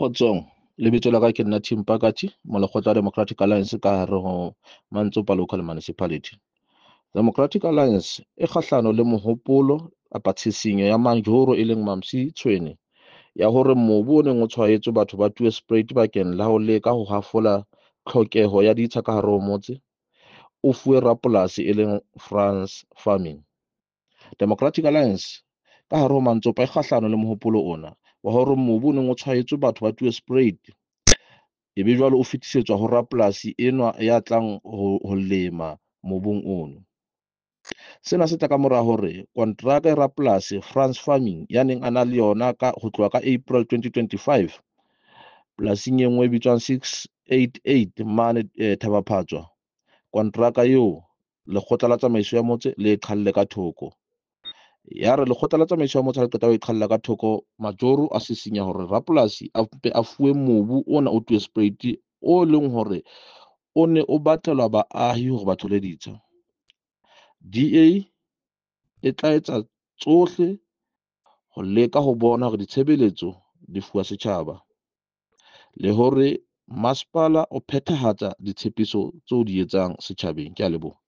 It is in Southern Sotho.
Kgotsong, lebitso la ka ke nna Tim Pakati, molekgotla wa Democratic Alliance ka hare ho Mantsopa Local Municipality. Democratic Alliance e kgahlano le mohopolo kapa tshisinyo ya Majoro e leng Mamsi Tshwene ya hore mobu o neng o tshwaetswe batho ba Tweespruit bakeng la ho leka ho hafola tlhokeho ya ditsha ka hare ho motse, o fuwe rapolasi e leng France Farming. Democratic Alliance ka hare ho Mantsopa e kgahlano le mohopolo ona wa hore mobu o neng o tshwaetswe batho ba Tweespruit ebe jwale o fetisetswa ho rapolasi enwa ya tlang ho lema mobung ono. Sena se tla ka mora hore kontraka ya rapolasi France Farming ya neng a na le yona ka ho tloha ka April 2025 polasing e nngwe e bitswang 688 mane Thaba-Phatswa, kontraka eo lekgotla la tsamaiso ya motse le e qhalle ka thoko. Ya re lekgotla la tsamaiso ya motse ha le qeta ho e qhalla ka thoko, Majoro a sisinya hore rapolasi a mpe a fuwe mobu ona o Tweespruit o leng hore o ne o batlelwa baahi hore ba thole ditsha. DA e tla etsa tsohle ho leka ho bona hore ditshebeletso di fuwa setjhaba le hore masepala o phethahatsa ditshepiso tseo di etsang setjhabeng. Ke a leboha.